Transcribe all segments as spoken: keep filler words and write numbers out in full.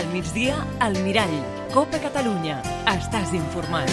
Al migdia, al Mirall. Copa Catalunya. Estàs informat.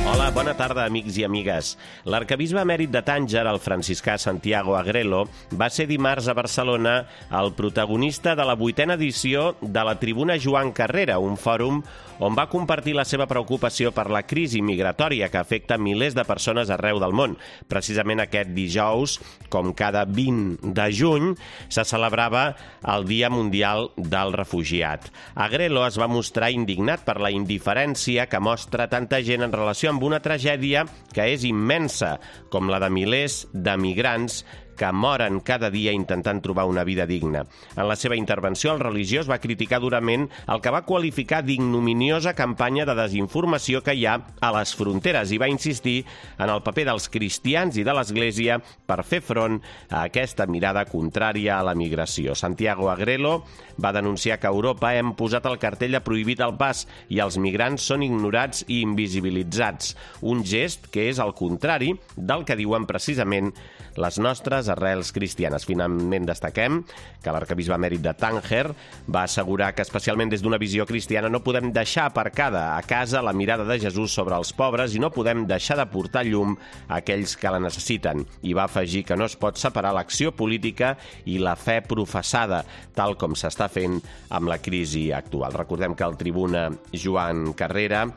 Hola, bona tarda, amics i amigues. L'arquebisbe emèrit de Tànger, el franciscà Santiago Agrelo, va ser dimarts a Barcelona el protagonista de la vuitena edició de la Tribuna Joan Carrera, un fòrum on va compartir la seva preocupació per la crisi migratòria que afecta milers de persones arreu del món. Precisament aquest dijous, com cada vint de juny, se celebrava el Dia Mundial del Refugiat. Agrelo es va mostrar indignat per la indiferència que mostra tanta gent en relació amb una tragèdia que és immensa, com la de milers de migrants que moren cada dia intentant trobar una vida digna. En la seva intervenció, el religiós va criticar durament el que va qualificar d'ignominiosa campanya de desinformació que hi ha a les fronteres i va insistir en el paper dels cristians i de l'Església per fer front a aquesta mirada contrària a la migració. Santiago Agrelo va denunciar que a Europa hem posat el cartell de prohibit el pas i els migrants són ignorats i invisibilitzats, un gest que és el contrari del que diuen precisament les nostres arrels cristianes. Finalment destaquem que l'arquebisbe emèrit de Tànger va assegurar que, especialment des d'una visió cristiana, no podem deixar aparcada a casa la mirada de Jesús sobre els pobres i no podem deixar de portar llum a aquells que la necessiten. I va afegir que no es pot separar l'acció política i la fe professada, tal com s'està fent amb la crisi actual. Recordem que el Tribuna Joan Carrera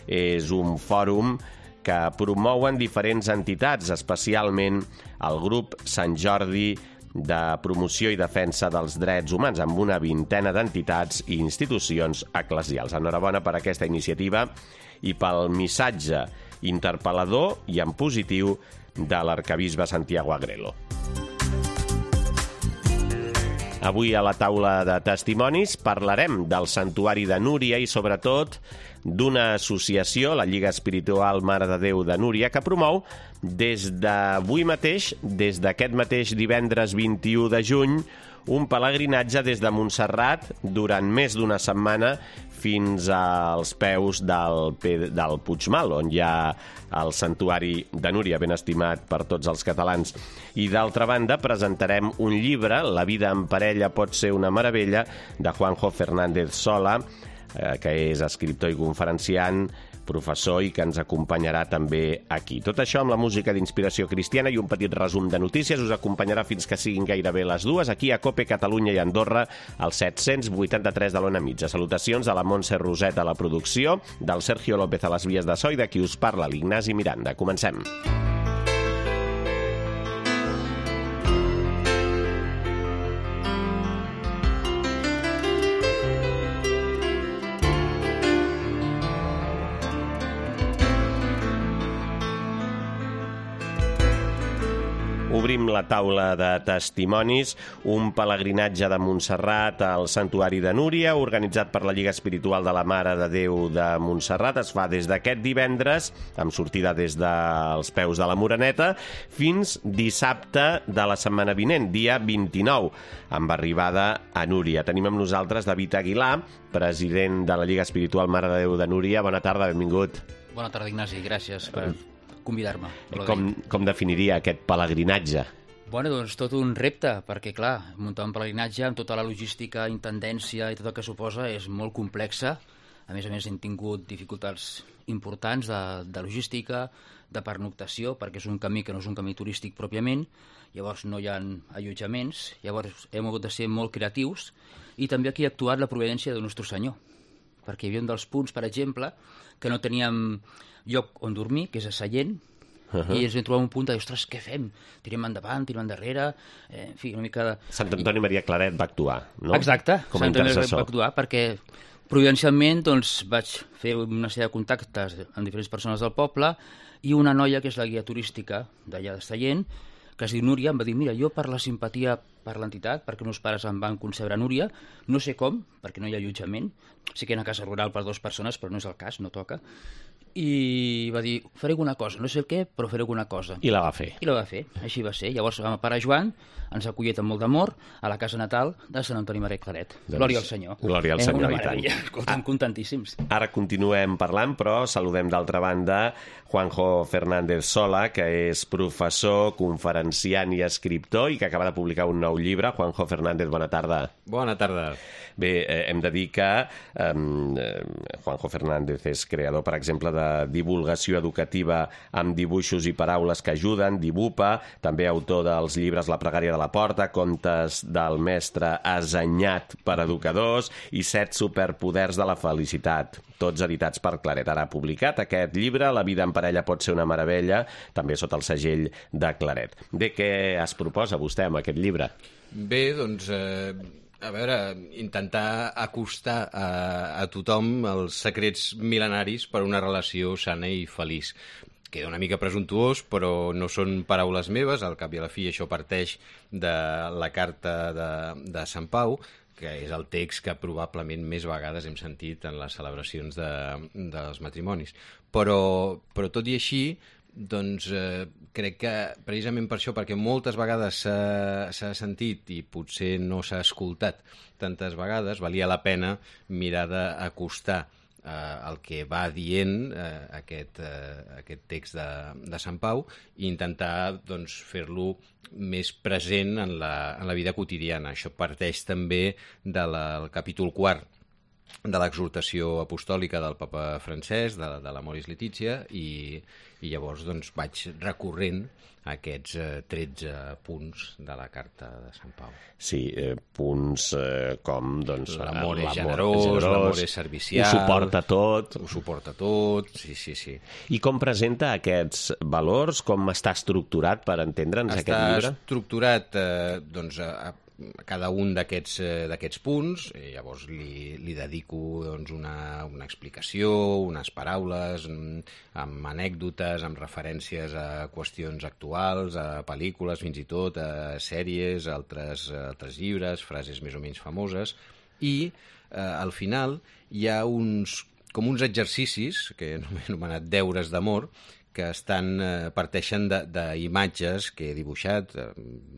és un fòrum que promouen diferents entitats, especialment el grup Sant Jordi de promoció i defensa dels drets humans, amb una vintena d'entitats i institucions eclesials. Enhorabona per aquesta iniciativa i pel missatge interpel·lador i en positiu de l'arquebisbe Santiago Agrelo. Avui a la taula de testimonis parlarem del Santuari de Núria i, sobretot, d'una associació, la Lliga Espiritual Mare de Déu de Núria, que promou des d'avui mateix, des d'aquest mateix divendres vint-i-u de juny, un pelegrinatge des de Montserrat durant més d'una setmana fins als peus del, del Puigmal, on hi ha el Santuari de Núria, ben estimat per tots els catalans. I d'altra banda, presentarem un llibre, La vida en parella pot ser una meravella, de Juanjo Fernández Sola, eh, que és escriptor i conferenciant, professor i que ens acompanyarà també aquí. Tot això amb la música d'inspiració cristiana i un petit resum de notícies us acompanyarà fins que siguin gairebé les dues, aquí a Cope Catalunya i Andorra, al set-cents vuitanta-tres de l'Ona Mitja. Salutacions de la Montse Roset a la producció, del Sergio López a les vies de so i de qui us parla, l'Ignasi Miranda. Comencem. Obrim la taula de testimonis, un pelegrinatge de Montserrat al Santuari de Núria, organitzat per la Lliga Espiritual de la Mare de Déu de Montserrat. Es fa des d'aquest divendres, amb sortida des dels peus de la Moreneta, fins dissabte de la setmana vinent, dia vint-i-nou, amb arribada a Núria. Tenim amb nosaltres David Aguilar, president de la Lliga Espiritual Mare de Déu de Núria. Bona tarda, benvingut. Bona tarda, Ignasi, gràcies per convidar-me. Com, com definiria aquest pelegrinatge? Bueno, doncs tot un repte, perquè, clar, muntar un pelegrinatge amb tota la logística, intendència i tot el que suposa és molt complexa. A més a més, hem tingut dificultats importants de, de logística, de pernoctació, perquè és un camí que no és un camí turístic pròpiament, llavors no hi ha allotjaments, llavors hem hagut de ser molt creatius, i també aquí ha actuat la providència de Nostre Senyor, perquè hi havia un dels punts, per exemple, que no teníem lloc on dormir, que és a Sallent, uh-huh. i ens vam trobar un punt de dir, ostres, què fem? Tirem endavant, tirem endarrere, eh, en fi, una mica de... Sant Antoni Maria Claret va actuar, no? Exacte, com Sant Antoni Maria va actuar, perquè providencialment doncs, vaig fer una sèrie de contactes amb diferents persones del poble i una noia que és la guia turística d'allà de Sallent, que es diu Núria, em va dir, mira, jo per la simpatia per l'entitat, perquè meus pares em van concebre a Núria, no sé com, perquè no hi ha allotjament, sé que hi ha una casa rural per dues persones, però no és el cas, no toca, i va dir, faré alguna cosa, no sé el què, però faré alguna cosa. I la va fer. I la va fer, així va ser. Llavors, el pare Joan ens ha acollit amb molt d'amor a la casa natal de Sant Antoni Maria Claret. Doncs, Glòria al Senyor. Glòria al eh, Senyor, una i tant. meravella. Escolta'm, contentíssims. Ara continuem parlant, però saludem d'altra banda Juanjo Fernández Sola, que és professor, conferenciant i escriptor i que acaba de publicar un nou llibre. Juanjo Fernández, bona tarda. Bona tarda. Bé, eh, hem de dir que eh, Juanjo Fernández és creador, per exemple, de divulgació educativa amb dibuixos i paraules que ajuden, Dibupa, també autor dels llibres La pregària de la porta, Contes del mestre assenyat per educadors i Set superpoders de la felicitat, tots editats per Claret. Ara ha publicat aquest llibre, La vida en parella pot ser una meravella, també sota el segell de Claret. Bé, què es proposa vostè amb aquest llibre? Bé, doncs, eh, a veure, intentar acostar a, a tothom els secrets mil·lenaris per una relació sana i feliç. Queda una mica presumptuós, però no són paraules meves, al cap i a la fi això parteix de la carta de, de Sant Pau, que és el text que probablement més vegades hem sentit en les celebracions de, dels matrimonis. Però, però tot i així, doncs eh, crec que precisament per això, perquè moltes vegades s'ha sentit i potser no s'ha escoltat tantes vegades, valia la pena mirar d'acostar eh, el que va dient eh, aquest, eh, aquest text de, de Sant Pau i intentar doncs, fer-lo més present en la, en la vida quotidiana. Això parteix també del capítol quart de l'exhortació apostòlica del papa francès, de, de l'Amoris Laetitia, i, i llavors doncs, vaig recorrent aquests eh, tretze punts de la carta de Sant Pau. Sí, eh, punts eh, com... Doncs, l'amor és generós, l'amor és servicial... Ho suporta tot. Ho suporta tot, sí, sí, sí. I com presenta aquests valors? Com està estructurat per entendre'ns aquest llibre? Està estructurat, eh, doncs, a, a cada un d'aquests eh, d'aquests punts, i llavors li, li dedico doncs, una, una explicació, unes paraules, amb anècdotes, amb referències a qüestions actuals, a pel·lícules, fins i tot, a sèries, a altres, a altres llibres, frases més o menys famoses, i eh, al final hi ha uns, com uns exercicis, que he anomenat deures d'amor, que estan, eh, parteixen d'imatges que he dibuixat, eh,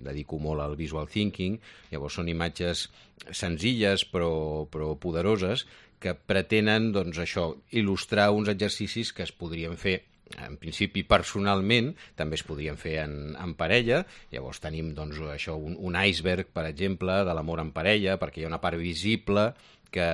dedico molt al visual thinking, llavors són imatges senzilles però, però poderoses que pretenen doncs, això, il·lustrar uns exercicis que es podrien fer en principi personalment, també es podrien fer en, en parella, llavors tenim doncs, això, un, un iceberg, per exemple, de l'amor en parella, perquè hi ha una part visible que,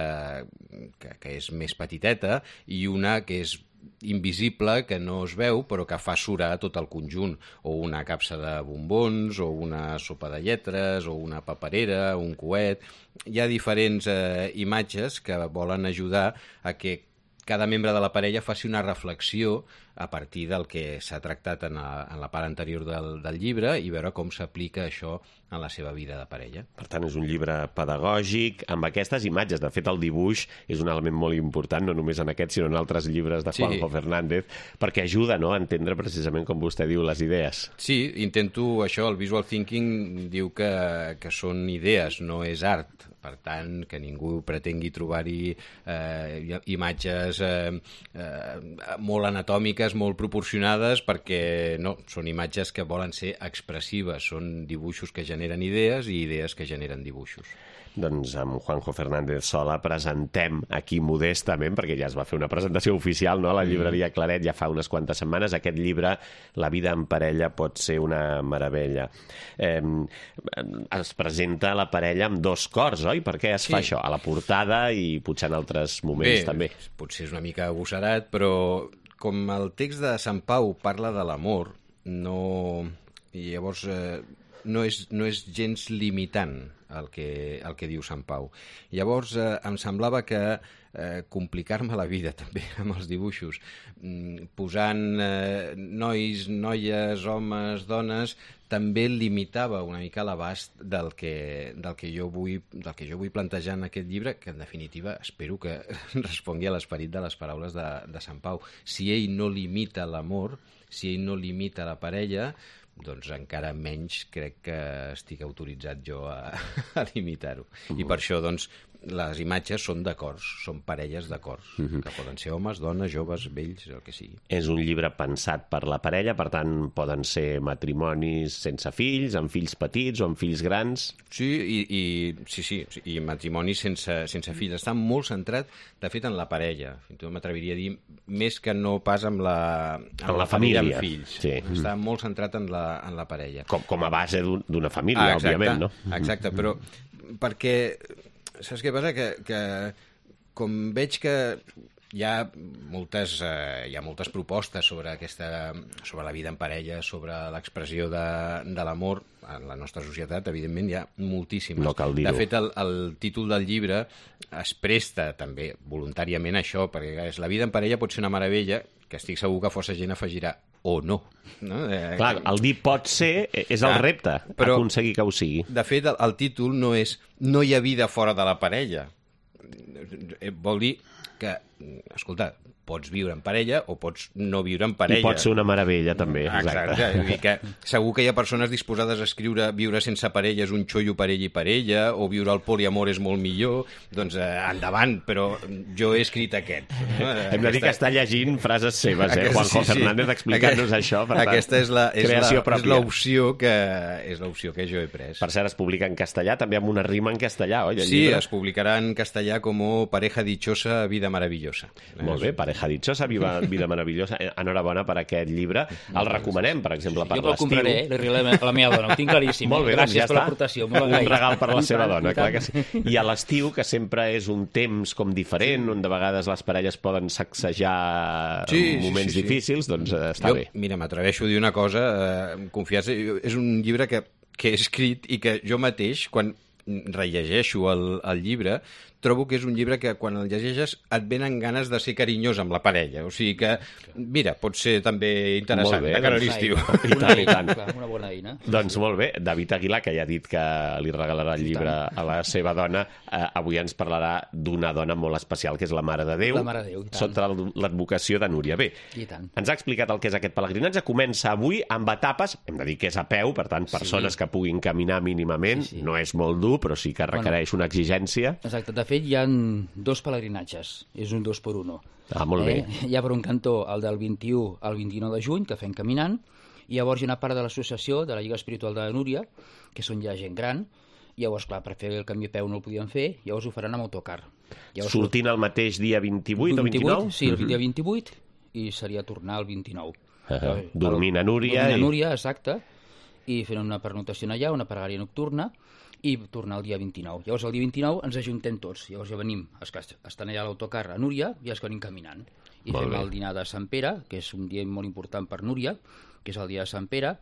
que, que és més petiteta i una que és invisible, que no es veu, però que fa surar tot el conjunt, o una capsa de bombons, o una sopa de lletres, o una paperera, un coet... Hi ha diferents eh, imatges que volen ajudar a que cada membre de la parella faci una reflexió a partir del que s'ha tractat en la, en la part anterior del, del llibre i veure com s'aplica això en la seva vida de parella. Per tant, és un llibre pedagògic amb aquestes imatges. De fet, el dibuix és un element molt important, no només en aquest, sinó en altres llibres de Juanjo sí. Fernández, perquè ajuda, no?, a entendre precisament, com vostè diu, les idees. Sí, intento això. El visual thinking diu que, que són idees, no és art. Per tant, que ningú pretengui trobar-hi eh, imatges eh, eh, molt anatòmiques, molt proporcionades, perquè no, són imatges que volen ser expressives, són dibuixos que generen idees i idees que generen dibuixos. Doncs amb Juanjo Fernández Sola presentem aquí modestament, perquè ja es va fer una presentació oficial, no?, a la llibreria Claret ja fa unes quantes setmanes, aquest llibre, La vida en parella pot ser una meravella. Eh, es presenta la parella amb dos cors, oi? Per què es sí. fa això? A la portada i potser en altres moments Bé, també. Potser és una mica agossarat, però com el text de Sant Pau parla de l'amor, no... i llavors eh, no, és, no és gens limitant el que, el que diu Sant Pau. Llavors eh, em semblava que eh, complicar-me la vida també amb els dibuixos, mm, posant eh, nois, noies, homes, dones, també limitava una mica l'abast del que, del, que jo vull, del que jo vull plantejar en aquest llibre, que en definitiva espero que respongui a l'esperit de les paraules de, de Sant Pau. Si ell no limita l'amor, si ell no limita la parella, doncs encara menys crec que estic autoritzat jo a, a limitar-ho. I per això, doncs, les imatges són d'acords, són parelles d'acords, uh -huh. que poden ser homes, dones, joves, vells, el que sigui. És un llibre pensat per la parella, per tant, poden ser matrimonis sense fills, amb fills petits o amb fills grans. Sí, i, i, sí, sí, i matrimonis sense, sense fills. Està molt centrat, de fet, en la parella. Fins i tot m'atreviria a dir, més que no pas amb la, amb en la, la família, família amb fills. Sí. Està molt centrat en la, en la parella. Com, com a base d'una família, ah, exacte, òbviament, no? Exacte, però perquè... Saps què passa? Que, que com veig que hi ha moltes, eh, hi ha moltes propostes sobre, aquesta, sobre la vida en parella, sobre l'expressió de, de l'amor en la nostra societat, evidentment hi ha moltíssimes. No cal dir-ho. De fet, el, el títol del llibre es presta també voluntàriament a això, perquè és la vida en parella pot ser una meravella, que estic segur que força gent afegirà o no. no? Eh, Clar, el dir pot ser és el ah, repte, però, aconseguir que ho sigui. De fet, el, el títol no és no hi ha vida fora de la parella. Vol dir que, escolta, pots viure en parella o pots no viure en parella. I pot ser una meravella, també. Exacte. Exacte. Vull dir que segur que hi ha persones disposades a escriure viure sense parella és un xollo per ell i per ella, o viure al poliamor és molt millor. Doncs eh, endavant, però jo he escrit aquest. No? Hem de dir que està llegint frases seves, eh? Aquesta, Juanjo sí, sí. Fernández explicant-nos Aquest, això. Per tant, aquesta és la, és creació la, és pròpia. l'opció que, és l'opció que jo he pres. Per cert, es publica en castellà, també amb una rima en castellà, oi? El Sí, llibre? es publicarà en castellà com Pareja dichosa, vida maravillosa. Molt bé, Pareja dichosa, viva, vida maravillosa. Enhorabona per aquest llibre. El recomanem, per exemple, per jo el l'estiu. compraré, li regalem a la meva dona, ho tinc claríssim. Molt bé, Gràcies doncs ja per està. l'aportació. molt Un agraït. regal per la I seva tant, dona, i clar que tant. sí. I a l'estiu, que sempre és un temps com diferent, on de vegades les parelles poden sacsejar Sí, en sí, moments sí, sí. difícils, doncs eh, està jo, bé. Mira, m'atreveixo a dir una cosa, eh, confiança, és un llibre que, que he escrit i que jo mateix, quan rellegeixo el, el llibre, trobo que és un llibre que quan el llegeixes et venen ganes de ser carinyós amb la parella. O sigui que, mira, pot ser també interessant Molt bé, de cara a doncs, l'estiu. I Una tant, i eina, tant. clar, una bona eina. Doncs molt bé, David Aguilar, que ja ha dit que li regalarà el llibre a la seva dona, eh, avui ens parlarà d'una dona molt especial, que és la Mare de Déu, La Mare de Déu, i tant. sota l'advocació de Núria. Bé, I tant. ens ha explicat el que és aquest pelegrinatge. Comença avui amb etapes, hem de dir que és a peu, per tant, persones Sí. que puguin caminar mínimament. Sí, sí. No és molt dur, però sí que requereix una exigència. Exacte, de fet hi ha dos pelegrinatges, és un dos per uno. Ah, molt bé. Eh? Hi ha per un cantó el del vint-i-u al vint-i-nou de juny, que fem caminant, i llavors hi ha una part de l'associació de la Lliga Espiritual de Núria, que són ja gent gran, i llavors, clar, per fer el canvi a peu no el podien fer, llavors ho faran amb autocar. Llavors, Sortint el mateix dia vint-i-vuit o vint-i-nou? Sí, el dia vint-i-vuit, i seria tornar el vint-i-nou. Uh -huh. El- Dormint a Núria. Dormint a i- Núria, exacte, i fent una pernotació allà, una pregària nocturna, i tornar el dia vint-i-nou. Llavors, el dia vint-i-nou ens ajuntem tots. Llavors ja venim, els que estan allà a l'autocar a Núria, i els que venim caminant. I Molt fem bé. el dinar de Sant Pere, que és un dia molt important per Núria, que és el dia de Sant Pere,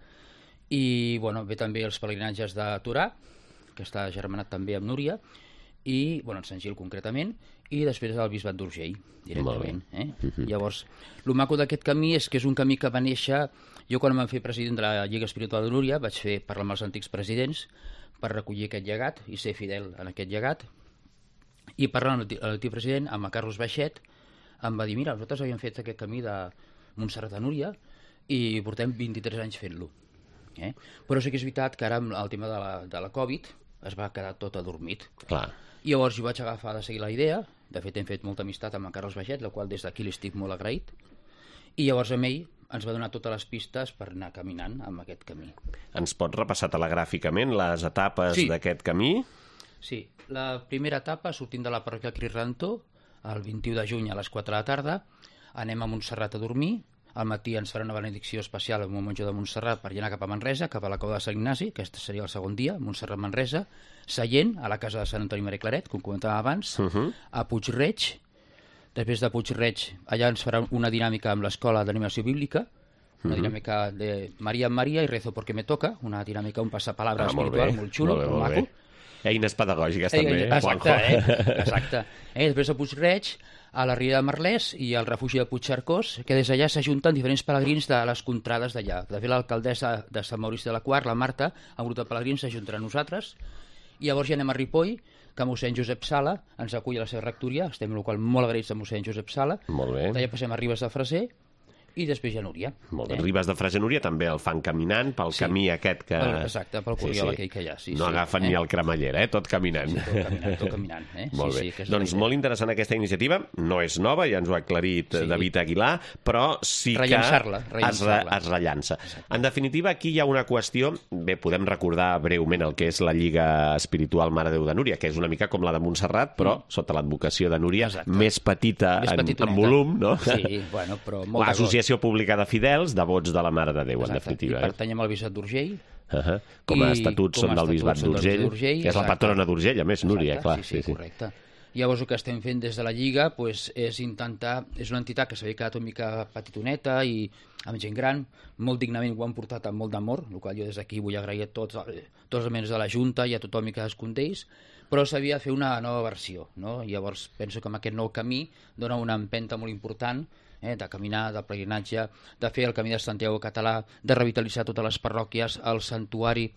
i bueno, ve també els pelegrinatges de Torà, que està germanat també amb Núria, i, bueno, en Sant Gil concretament, i després el Bisbat d'Urgell, directament. Eh? Uh-huh. Llavors, el maco d'aquest camí és que és un camí que va néixer... Jo, quan em van fer president de la Lliga Espiritual de Núria, vaig fer parlar amb els antics presidents per recollir aquest llegat i ser fidel en aquest llegat. I parlant amb l'antic president, amb el Carlos Baixet, em va dir, mira, nosaltres havíem fet aquest camí de Montserrat a Núria i portem vint-i-tres anys fent-lo. Eh? Però sí que és veritat que ara amb el tema de la, de la Covid es va quedar tot adormit. Clar. I llavors jo vaig agafar de seguir la idea, de fet hem fet molta amistat amb en Carles Baixet, la qual des d'aquí li estic molt agraït, i llavors amb ell ens va donar totes les pistes per anar caminant amb aquest camí. Ens pots repassar telegràficament les etapes Sí. d'aquest camí? Sí, la primera etapa, sortint de la parròquia Crisrantó, el vint-i-u de juny a les quatre de la tarda, anem a Montserrat a dormir, al matí ens farà una benedicció especial amb un monjo de Montserrat per anar cap a Manresa, cap a la cova de Sant Ignasi, aquest seria el segon dia, Montserrat-Manresa, Sallent, a la casa de Sant Antoni Maria Claret, com comentàvem abans, Uh -huh. a Puig-reig, després de Puig-reig, allà ens farà una dinàmica amb l'escola d'animació bíblica, una dinàmica de Maria en Maria i Rezo porque me toca, una dinàmica, un passapalabra Ah, molt espiritual bé. molt xulo, Molt bé, molt molt maco. bé. Eines pedagògiques, Eh, també, exacte, Juanjo. eh? Exacte. Eh, després de Puig-reig, a la Ria de Merlès i al refugi de Puigcercós, que des d'allà s'ajunten diferents pelegrins de les contrades d'allà. De fet, l'alcaldessa de Sant Maurici de la Quart, la Marta, un grup de pelegrins s'ajuntarà a nosaltres, i llavors ja anem a Ripoll, que mossèn Josep Sala ens acull a la seva rectoria, estem en el qual molt agraïts a mossèn Josep Sala. Molt bé. D'allà passem a Ribes de Freser, i després ja Núria. Molt bé. Eh? Ribes de Freser, Núria també el fan caminant pel sí. camí aquest que... Exacte, pel Corriol sí, sí. aquell que hi ha. Sí, no sí. agafen eh? ni el cremallera, eh? tot caminant. Sí, tot caminant, tot caminant. Eh? Molt sí, bé. Sí, doncs molt interessant aquesta iniciativa. No és nova, ja ens ho ha aclarit sí. David Aguilar, però sí que es, re, es rellança. Exacte. En definitiva, aquí hi ha una qüestió... Bé, podem recordar breument el que és la Lliga Espiritual Mare Déu de Núria, que és una mica com la de Montserrat, però mm. sota l'advocació de Núria, Exacte. més petita més en, en volum, no? Sí, bueno, però molt L'Associació Pública de Fidels, devots de la Mare de Déu, Exacte. en definitiva. I pertanyem al Bisbat d'Urgell. Uh -huh. Com a estatuts són del Bisbat d'Urgell, que és la patrona d'Urgell, a més, Núria, Exacte. clar. Sí, sí, sí, correcte. Llavors el que estem fent des de la Lliga pues, és intentar... És una entitat que s'havia quedat una mica petitoneta i amb gent gran, molt dignament ho han portat amb molt d'amor, el qual jo des d'aquí vull agrair a tots, tots els membres de la Junta i a tothom i cadascun d'ells, però s'havia de fer una nova versió, no? Llavors penso que amb aquest nou camí dona una empenta molt important, eh, de caminar, de pelegrinatge, de fer el camí de Santiago català, de revitalitzar totes les parròquies, el santuari.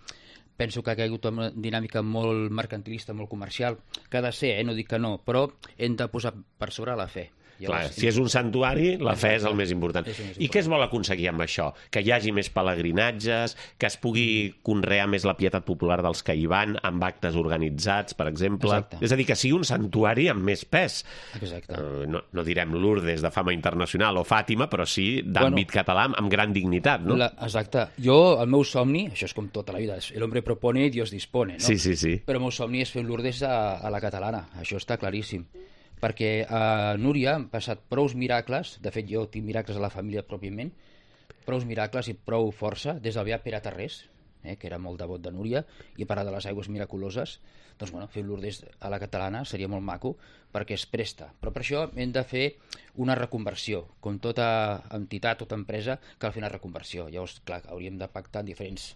Penso que ha caigut una dinàmica molt mercantilista, molt comercial, que ha de ser, eh? No dic que no, però hem de posar per sobre la fe. Clar, si és un santuari, la fe és el més important. És el més I què es vol aconseguir amb això? Que hi hagi més pelegrinatges, que es pugui conrear més la pietat popular dels que hi van, amb actes organitzats, per exemple. Exacte. És a dir, que sigui un santuari amb més pes. Exacte. Uh, no, no direm Lourdes de fama internacional o Fàtima, però sí d'àmbit bueno, català amb gran dignitat, no? La, exacte. Jo, el meu somni, això és com tota la vida, el hombre propone i Dios dispone, no? Sí, sí, sí. Però el meu somni és fer un Lourdes a, a la catalana, això està claríssim. Perquè a Núria han passat prous miracles, de fet jo tinc miracles a la família pròpiament, prous miracles i prou força, des del beat Pere Tarrés, eh, que era molt devot de Núria, i a part de les aigües miraculoses, doncs bueno, fer un Lourdes a la catalana seria molt maco, perquè es presta. Però per això hem de fer una reconversió, com tota entitat, tota empresa, cal fer una reconversió. Llavors, clar, hauríem de pactar en diferents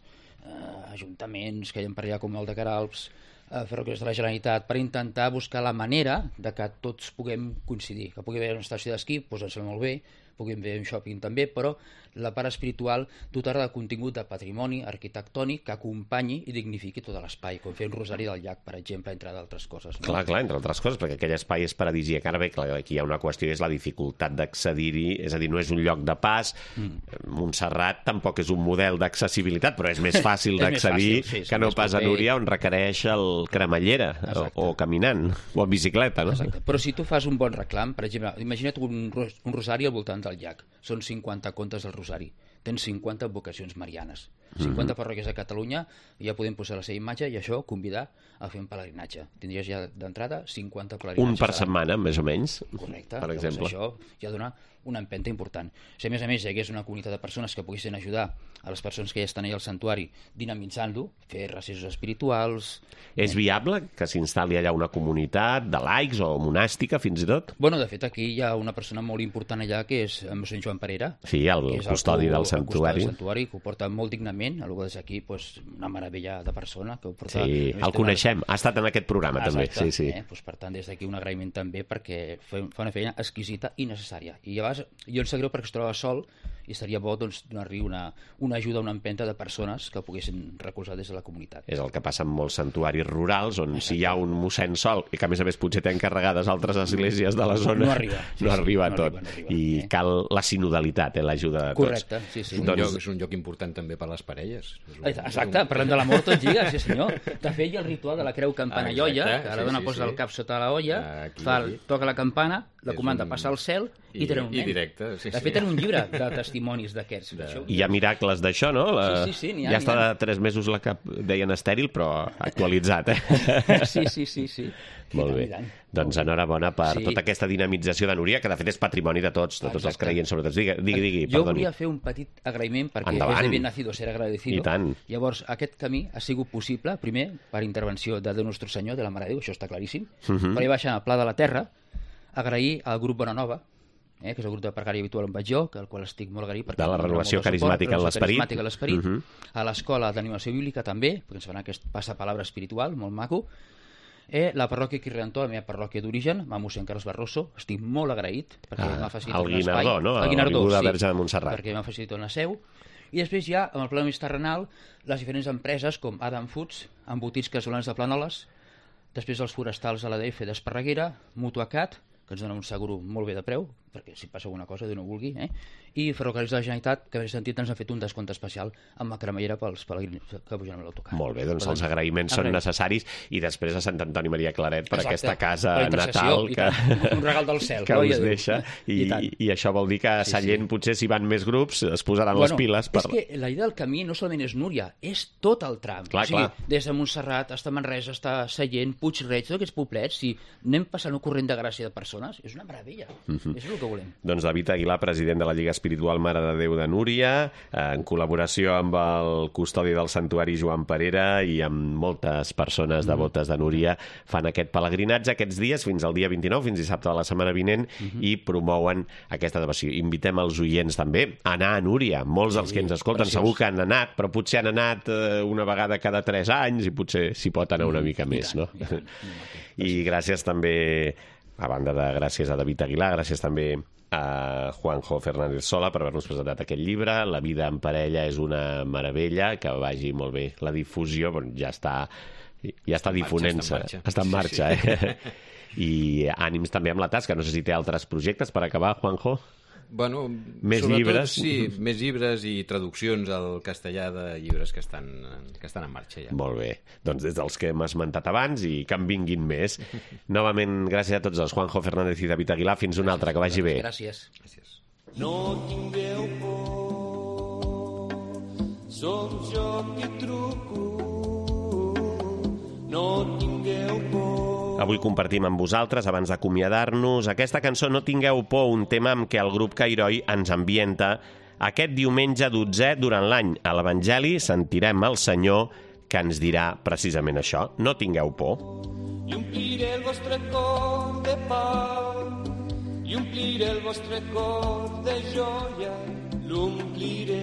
eh, ajuntaments que hi ha per allà com el de Caralps, a Ferrocarrils de la Generalitat, per intentar buscar la manera de que tots puguem coincidir, que pugui haver una estació d'esquí, doncs ens sembla molt bé, puguem fer un shopping també, però la part espiritual dotar-la de contingut de patrimoni arquitectònic que acompanyi i dignifiqui tot l'espai, com fer un rosari del llac, per exemple, entre d'altres coses. No? Clar, clar, entre altres coses, perquè aquell espai és paradisíac. Ara bé, clar, aquí hi ha una qüestió, és la dificultat d'accedir-hi, és a dir, no és un lloc de pas. Mm. Montserrat tampoc és un model d'accessibilitat, però és més fàcil d'accedir sí, que no pas a Núria, on requereix el cremallera, o, o caminant, o en bicicleta, no? Exacte. Però si tu fas un bon reclam, per exemple, imagina't un, un rosari al voltant del llac, són cinquanta contes del rosari, tens cinquanta vocacions marianes, cinquanta mm-hmm. parròquies a Catalunya, ja podem posar la seva imatge i això convidar a fer un pelegrinatge. Tindries ja d'entrada cinquanta pelegrinatges. Un per setmana, més o menys. Correcte. Per exemple. Això ja dona una empenta important. Si a més a més hi hagués una comunitat de persones que poguessin ajudar a les persones que ja estan allà al santuari dinamitzant-lo, fer recessos espirituals... És viable que s'instal·li allà una comunitat de laics o monàstica, fins i tot? Bueno, de fet, aquí hi ha una persona molt important allà, que és el mossèn Joan Parera. Sí, el custodi del santuari. El santuari, que ho porta molt dignament, algú des aquí, pues, una meravella de persona. Que ho porta, sí, el coneixem, ha estat en aquest programa Exacte, també. Sí, sí. Eh? Pues, per tant, des d'aquí un agraïment també, perquè fa una feina exquisita i necessària. I llavors, jo em sap greu perquè es troba sol i estaria bo doncs, donar-li una, una ajuda, una empenta de persones que poguessin recolzar des de la comunitat. És el que passa en molts santuaris rurals, on Exacte. Si hi ha un mossèn sol, i que a més a més potser té encarregades altres esglésies de la zona, no arriba, sí, no sí, arriba no tot. Arriba, no arriba, I eh? cal la sinodalitat, eh, l'ajuda de tots. Correcte, sí, sí. Un doncs... lloc, és un lloc important també per a les parelles. És un, Exacte, un... parlem de l'amor tot lliga, sí senyor. De fet, hi ha el ritual de la creu campana i olla, que la dona sí, sí, posa sí. el cap sota la olla, aquí, fa, aquí. toca la campana, la comanda un... passa al cel i, i té un nen. I directe, sí, de fet, sí. tenen un llibre de testimonis d'aquests. De... Hi ha miracles d'això, no? La... Sí, sí, sí, ha, ja està de tres mesos la que deien estèril, però actualitzat, eh? Sí, sí, sí, sí. Molt bé. Doncs enhorabona per sí. tota aquesta dinamització de Núria, que de fet és patrimoni de tots, de tots Exacte. Els creients, sobretot. Digui, digui, digui jo perdoni. volia fer un petit agraïment, perquè Endavant. és de bien nacido ser agradecido. I tant. Llavors, aquest camí ha sigut possible, primer, per intervenció de Déu Nostre Senyor, de la Mare de Déu, això està claríssim, uh -huh. però hi baixant al Pla de la Terra, agrair al grup Bonanova, eh, que és el grup de pregària habitual on vaig jo, que al qual estic molt agraït. De la renovació carismàtica en l'esperit. Carismàtica en l'esperit. Uh -huh. A l'escola d'animació bíblica també, perquè ens fan aquest passapalabra espiritual, molt maco. Eh, la parròquia Quirriantó, la meva parròquia d'origen, amb mossèn Carles Barroso, estic molt agraït, perquè ah, m'ha facilitat un espai. El Guinardó, no? El Guinardó, sí, Verge de Montserrat. perquè m'ha facilitat una seu. I després hi ha, amb el pla més terrenal, les diferents empreses com Adam Foods, embotits casolans de Planoles, després els forestals a l'A D F d'Esparreguera, Mutuacat, que ens dona un seguro molt bé de preu, perquè si passa alguna cosa, Déu no vulgui, eh? I Ferrocarrils de la Generalitat, que en sentit ens ha fet un descompte especial amb la cremallera pels pelegrins que pugen amb l'autocar. Molt bé, doncs els agraïments són necessaris, i després a Sant Antoni Maria Claret per aquesta casa natal que... un regal del cel, que us deixa, i això vol dir que a Sallent potser si van més grups es posaran les piles. És que la idea del camí no solament és Núria, és tot el tram. O sigui, des de Montserrat fins a Manresa, fins a Sallent, Puig-reig, tots aquests poblets, si anem passant un corrent de gràcia de persones, és una meravella. És el que volem. Doncs David Aguilar, president de la Lliga Espiritual Mare de Déu de Núria, en col·laboració amb el custodi del santuari Joan Perera i amb moltes persones devotes de Núria, fan aquest pelegrinatge aquests dies fins al dia vint-i-nou, fins dissabte de la setmana vinent, i promouen aquesta devoció. Invitem els oients també a anar a Núria. Molts dels que ens escolten segur que han anat, però potser han anat una vegada cada tres anys i potser s'hi pot anar una mica més, no? I gràcies també, a banda de gràcies a David Aguilar, gràcies també a Juanjo Fernández Sola per haver-nos presentat aquest llibre. La vida en parella és una meravella, que vagi molt bé la difusió, però ja està ja està difonent-se, està en marxa, eh? I ànims també amb la tasca. No sé si té altres projectes per acabar, Juanjo? Bueno, més llibres. Sí, més llibres i traduccions al castellà de llibres que estan, que estan en marxa ja. Molt bé. Doncs des dels que hem esmentat abans i que en vinguin més. Novament, gràcies a tots els Juanjo Fernández i David Aguilar. Fins una altra, que vagi bé. Gràcies. Gràcies. No tingueu por, som jo qui truco, no tingueu por. Avui compartim amb vosaltres, abans d'acomiadar-nos, aquesta cançó No tingueu por, un tema amb què el grup Cairoi ens ambienta aquest diumenge dotzè durant l'any. A l'Evangeli sentirem el Senyor que ens dirà precisament això. No tingueu por. I ompliré el vostre cor de pau, i ompliré el vostre cor de joia, l'ompliré.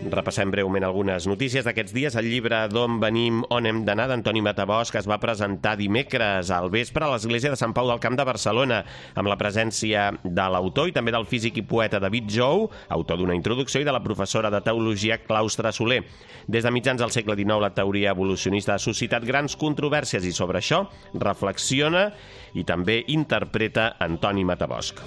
Repassem breument algunes notícies d'aquests dies. El llibre D'on venim, on hem d'anar, d'Antoni Matabosc, es va presentar dimecres al vespre a l'església de Sant Pau del Camp de Barcelona, amb la presència de l'autor i també del físic i poeta David Jou, autor d'una introducció, i de la professora de teologia Claustra Soler. Des de mitjans del segle dinou, la teoria evolucionista ha suscitat grans controvèrsies i sobre això reflexiona i també interpreta Antoni Matabosc.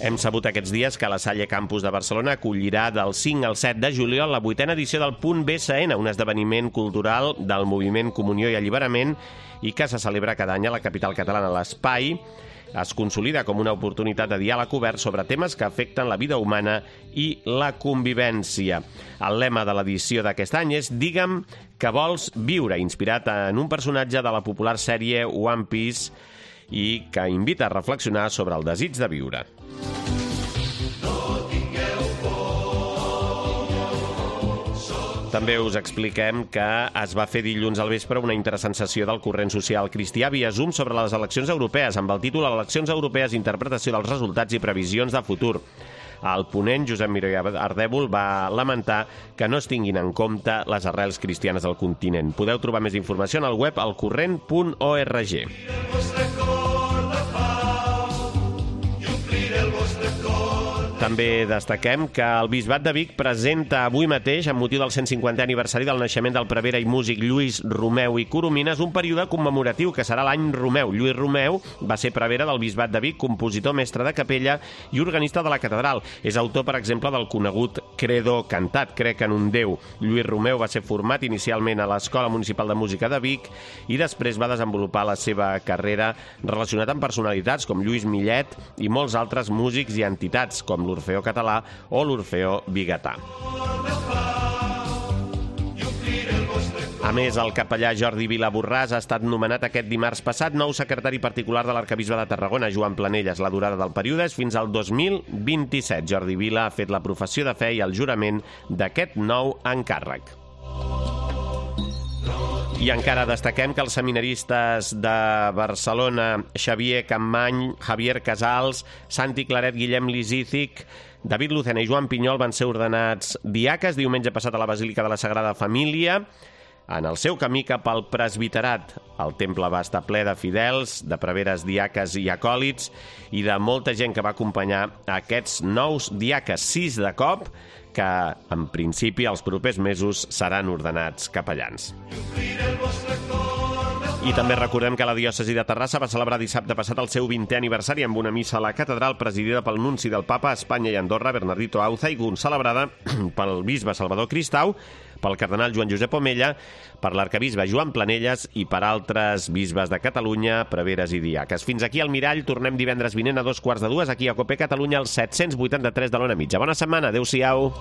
Hem sabut aquests dies que la Salle Campus de Barcelona acollirà del cinc al set de juliol la vuitena edició del Punt B S N, un esdeveniment cultural del moviment Comunió i Alliberament i que se celebra cada any a la capital catalana. L'espai es consolida com una oportunitat de diàleg obert sobre temes que afecten la vida humana i la convivència. El lema de l'edició d'aquest any és Digue'm que vols viure, inspirat en un personatge de la popular sèrie One Piece i que invita a reflexionar sobre el desig de viure. També us expliquem que es va fer dilluns al vespre una interessant sessió del corrent social cristià via Zoom sobre les eleccions europees, amb el títol Eleccions europees, interpretació dels resultats i previsions de futur. El ponent, Josep Miró i Ardèvol, va lamentar que no es tinguin en compte les arrels cristianes del continent. Podeu trobar més informació en el web elcorrent punt org. També destaquem que el Bisbat de Vic presenta avui mateix, amb motiu del cent cinquantè aniversari del naixement del prevere i músic Lluís Romeu i Coromines, un període commemoratiu que serà l'any Romeu. Lluís Romeu va ser prevere del Bisbat de Vic, compositor, mestre de capella i organista de la catedral. És autor, per exemple, del conegut Credo cantat, Crec en un Déu. Lluís Romeu va ser format inicialment a l'Escola Municipal de Música de Vic i després va desenvolupar la seva carrera relacionat amb personalitats com Lluís Millet i molts altres músics i entitats, com l'Orfeó Català o l'Orfeó Biguetà. A més, el capellà Jordi Vila Borràs ha estat nomenat aquest dimarts passat nou secretari particular de l'arquebisbe de Tarragona, Joan Planelles. La durada del període és fins al dos mil vint-i-set. Jordi Vila ha fet la professió de fe i el jurament d'aquest nou encàrrec. I encara destaquem que els seminaristes de Barcelona, Xavier Campmany, Javier Casals, Santi Claret, Guillem Lisícic, David Lucena i Joan Pinyol van ser ordenats diaques diumenge passat a la Basílica de la Sagrada Família. En el seu camí cap al presbiterat, el temple va estar ple de fidels, de preveres diaques i acòlits i de molta gent que va acompanyar aquests nous diaques, sis de cop, que, en principi, els propers mesos seran ordenats capellans. I també recordem que la diòcesi de Terrassa va celebrar dissabte passat el seu vintè aniversari amb una missa a la catedral presidida pel nunci del Papa a Espanya i Andorra, Bernardito Auzaigun, celebrada pel bisbe Salvador Cristau, pel cardenal Joan Josep Omella, per l'arcabisbe Joan Planelles i per altres bisbes de Catalunya, preveres i diaques. Fins aquí al Mirall, tornem divendres vinent a dos quarts de dues, aquí a Cope Catalunya, al set cents vuitanta-tres de l'Ona Mitja. Bona setmana, adeu-siau.